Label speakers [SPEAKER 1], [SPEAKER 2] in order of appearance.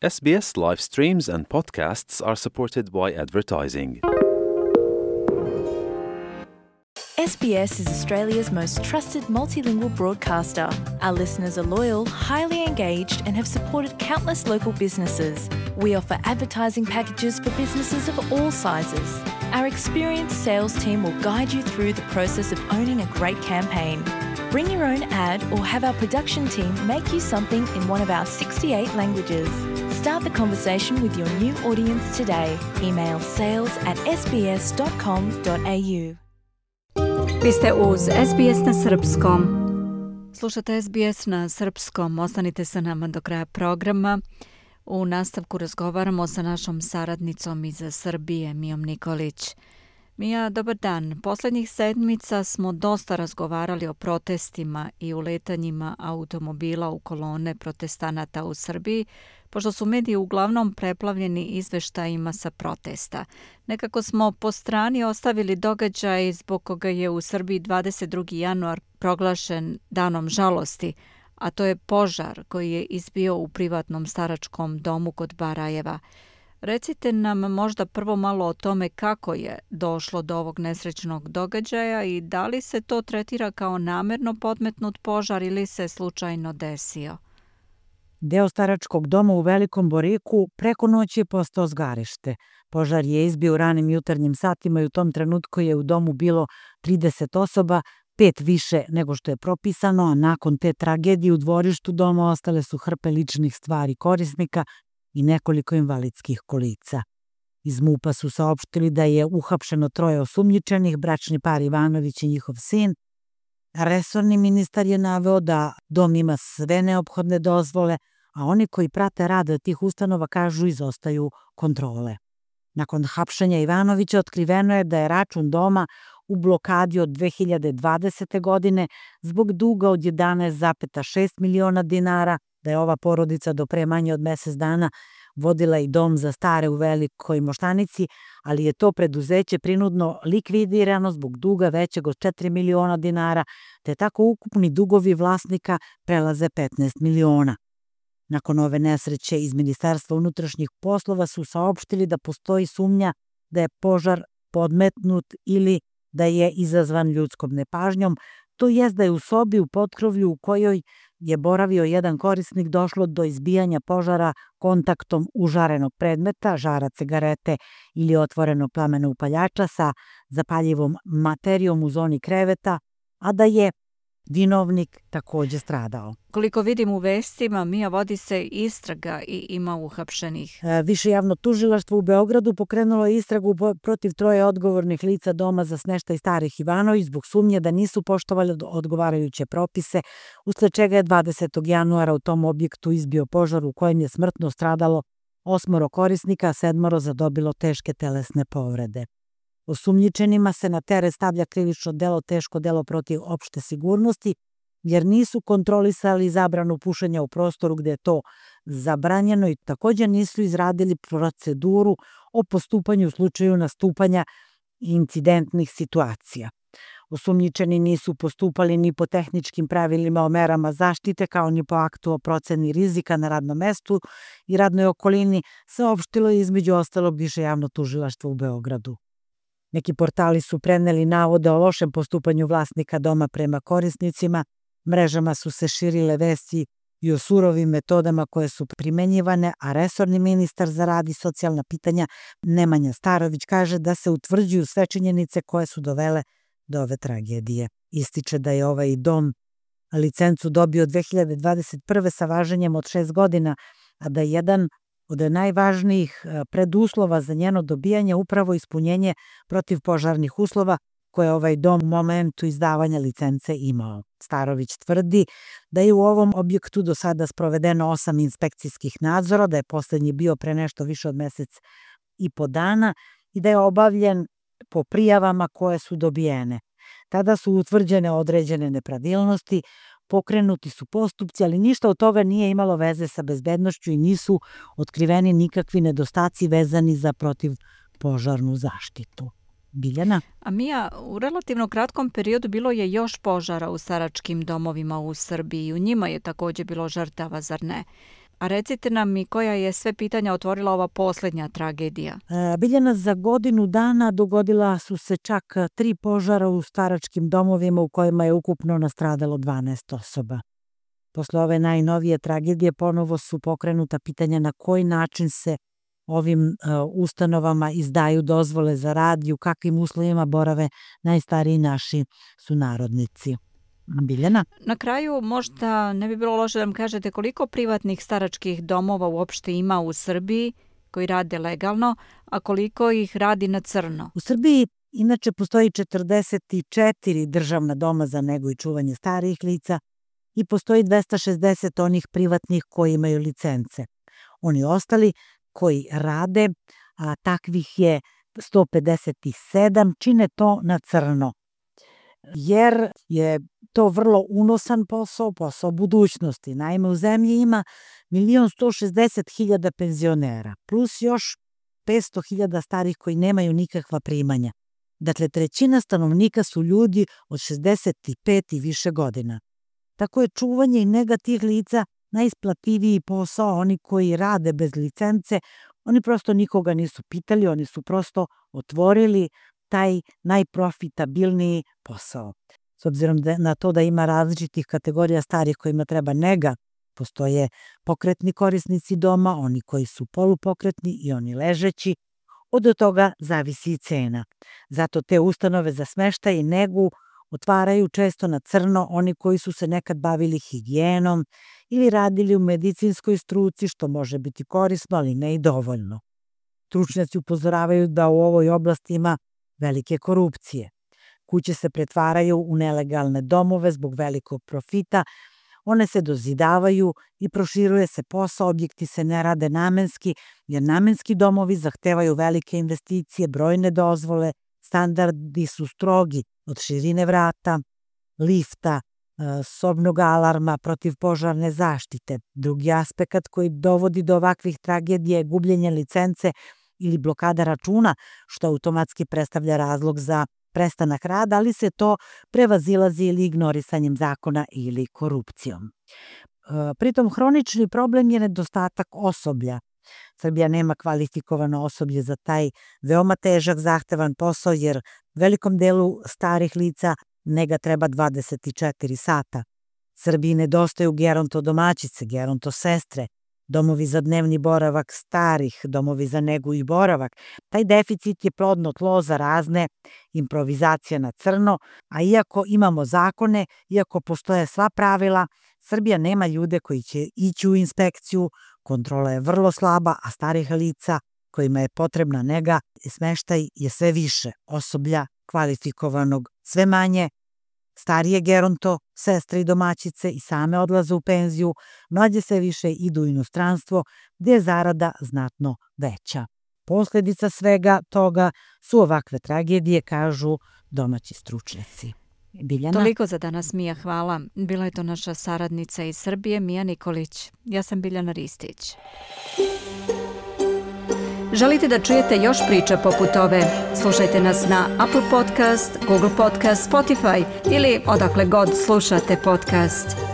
[SPEAKER 1] SBS live streams and podcasts are supported by advertising.
[SPEAKER 2] SBS is Australia's most trusted multilingual broadcaster. Our listeners are loyal, highly engaged, and have supported countless local businesses. We offer advertising packages for businesses of all sizes. Our experienced sales team will guide you through the process of owning a great campaign. Bring your own ad or have our production team make you something in one of our 68 languages. Start the conversation with your new audience today. Email sales@sbs.com.au.
[SPEAKER 3] Vi ste uz SBS na srpskom. Slušate SBS na srpskom. Ostanite sa nama do kraja programa. U nastavku razgovaramo sa našom saradnicom iz Srbije, Mijom Nikolić. Mija, dobar dan. Posljednjih sedmica smo dosta razgovarali o protestima i uletanjima automobila u kolone protestanata u Srbiji, pošto su mediji uglavnom preplavljeni izveštajima sa protesta. Nekako smo po strani ostavili događaj zbog koga je u Srbiji 22. januar proglašen danom žalosti, a to je požar koji je izbio u privatnom staračkom domu kod Barajeva. Recite nam možda prvo malo o tome kako je došlo do ovog nesrećnog događaja i da li se to tretira kao namerno podmetnut požar ili se slučajno desio.
[SPEAKER 4] Deo staračkog doma u Velikom Boriku preko noći je postao zgarište. Požar je izbio u ranim jutarnjim satima i u tom trenutku je u domu bilo 30 osoba, 5 više nego što je propisano, a nakon te tragedije u dvorištu doma ostale su hrpe ličnih stvari korisnika i nekoliko invalidskih kolica. Iz MUP-a su saopštili da je uhapšeno 3 osumnjičenih, bračni par Ivanović i njihov sin. Resorni ministar je naveo da dom ima sve neophodne dozvole, a oni koji prate rad tih ustanova kažu izostaju kontrole. Nakon hapšenja Ivanovića otkriveno je da je račun doma u blokadi od 2020. godine zbog duga od 11,6 miliona dinara, da je ova porodica do pre manje od mjesec dana vodila i dom za stare u Velikoj Moštanici, ali je to preduzeće prinudno likvidirano zbog duga većeg od 4 miliona dinara, te tako ukupni dugovi vlasnika prelaze 15 miliona. Nakon ove nesreće iz Ministarstva unutrašnjih poslova su saopštili da postoji sumnja da je požar podmetnut ili da je izazvan ljudskom nepažnjom, to jest da je u sobi u potkrovlju u kojoj je boravio jedan korisnik došlo do izbijanja požara kontaktom užarenog predmeta, žara cigarete ili otvorenog plamena upaljača sa zapaljivom materijom u zoni kreveta, a da je vinovnik također stradao.
[SPEAKER 3] Koliko vidim u vestima, Mija, vodi se istraga i ima uhapšenih.
[SPEAKER 4] Više javno tužilaštvo u Beogradu pokrenulo istragu protiv 3 odgovornih lica doma za smeštaj starih Ivanović zbog sumnje da nisu poštovali odgovarajuće propise, usled čega je 20. januara u tom objektu izbio požar u kojem je smrtno stradalo 8 korisnika, a 7 zadobilo teške telesne povrede. Osumnjičenima se na teret stavlja krivično delo teško delo protiv opšte sigurnosti, jer nisu kontrolisali zabranu pušenja u prostoru gde je to zabranjeno i također nisu izradili proceduru o postupanju u slučaju nastupanja incidentnih situacija. Osumnjičeni nisu postupali ni po tehničkim pravilima o merama zaštite, kao ni po aktu o proceni rizika na radnom mestu i radnoj okolini, saopštilo je između ostalog Više javno tužilaštvo u Beogradu. Neki portali su preneli navode o lošem postupanju vlasnika doma prema korisnicima, mrežama su se širile vesti i o surovim metodama koje su primenjivane, a resorni ministar za rad i socijalna pitanja Nemanja Starović kaže da se utvrđuju sve činjenice koje su dovele do ove tragedije. Ističe da je ovaj dom licencu dobio 2021. sa važenjem od 6 godina, a da je jedan od najvažnijih preduslova za njeno dobijanje upravo ispunjenje protivpožarnih uslova koje ovaj dom u momentu izdavanja licence imao. Starović tvrdi da je u ovom objektu do sada sprovedeno 8 inspekcijskih nadzora, da je posljednji bio pre nešto više od mjesec i po dana i da je obavljen po prijavama koje su dobijene. Tada su utvrđene određene nepravilnosti, pokrenuti su postupci, ali ništa od toga nije imalo veze sa bezbednošću i nisu otkriveni nikakvi nedostaci vezani za protivpožarnu zaštitu. Biljana?
[SPEAKER 3] A Mija, u relativno kratkom periodu bilo je još požara u staračkim domovima u Srbiji. U njima je također bilo žrtava, zar ne? A recite nam i koja je sve pitanja otvorila ova posljednja tragedija?
[SPEAKER 4] Biljana, za godinu dana dogodila su se čak 3 požara u staračkim domovima u kojima je ukupno nastradalo 12 osoba. Posle ove najnovije tragedije ponovo su pokrenuta pitanja na koji način se ovim ustanovama izdaju dozvole za rad i u kakvim uslovima borave najstariji naši sunarodnici. Biljana?
[SPEAKER 3] Na kraju možda ne bi bilo loše da nam kažete koliko privatnih staračkih domova uopšte ima u Srbiji koji rade legalno, a koliko ih radi na crno?
[SPEAKER 4] U Srbiji inače postoji 44 državna doma za negu i čuvanje starijih lica i postoji 260 onih privatnih koji imaju licence. Oni ostali koji rade, a takvih je 157, čine to na crno. Jer je to vrlo unosan posao budućnosti. Naime, u zemlji ima 1.160.000 penzionera, plus još 500.000 starih koji nemaju nikakva primanja. Dakle, 1/3 stanovnika su ljudi od 65 i više godina. Tako je čuvanje i nega tih lica najisplativiji posao. Oni koji rade bez licence, oni prosto nikoga nisu pitali, oni su prosto otvorili taj najprofitabilniji posao. S obzirom na to da ima različitih kategorija starih kojima treba nega, postoje pokretni korisnici doma, oni koji su polupokretni i oni ležeći, od toga zavisi i cena. Zato te ustanove za smeštaj i negu otvaraju često na crno oni koji su se nekad bavili higijenom ili radili u medicinskoj struci, što može biti korisno, ali ne i dovoljno. Stručnjaci upozoravaju da u ovoj oblasti ima velike korupcije. Kuće se pretvaraju u nelegalne domove zbog velikog profita, one se dozidavaju i proširuje se posao, objekti se ne rade namenski, jer namenski domovi zahtevaju velike investicije, brojne dozvole, standardi su strogi od širine vrata, lifta, sobnog alarma, protivpožarne zaštite. Drugi aspekt koji dovodi do ovakvih tragedija je gubljenje licence ili blokada računa, što automatski predstavlja razlog za prestanak rada, ali se to prevazilazi ili ignorisanjem zakona ili korupcijom. Pritom, hronični problem je nedostatak osoblja. Srbija nema kvalifikovano osoblje za taj veoma težak, zahtevan posao, jer velikom delu starih lica nega treba 24 sata. Srbiji nedostaju gerontodomaćice, gerontosestre, domovi za dnevni boravak starih, domovi za negu i boravak. Taj deficit je plodno tlo za razne improvizacije na crno, a iako imamo zakone, iako postoje sva pravila, Srbija nema ljude koji će ići u inspekciju, kontrola je vrlo slaba, a starih lica kojima je potrebna nega i smeštaj je sve više, osoblja kvalifikovanog sve manje, starije geronto, sestre i domaćice i same odlaze u penziju, mlađe sve više idu u inostranstvo gde je zarada znatno veća. Posledica svega toga su ovakve tragedije, kažu domaći stručnjaci. Biljana?
[SPEAKER 3] Toliko za danas, Mija, hvala. Bila je to naša saradnica iz Srbije, Mija Nikolić. Ja sam Biljana Ristić. Želite da čujete još priča poput ove? Slušajte nas na Apple Podcast, Google Podcast, Spotify ili odakle god slušate podcast.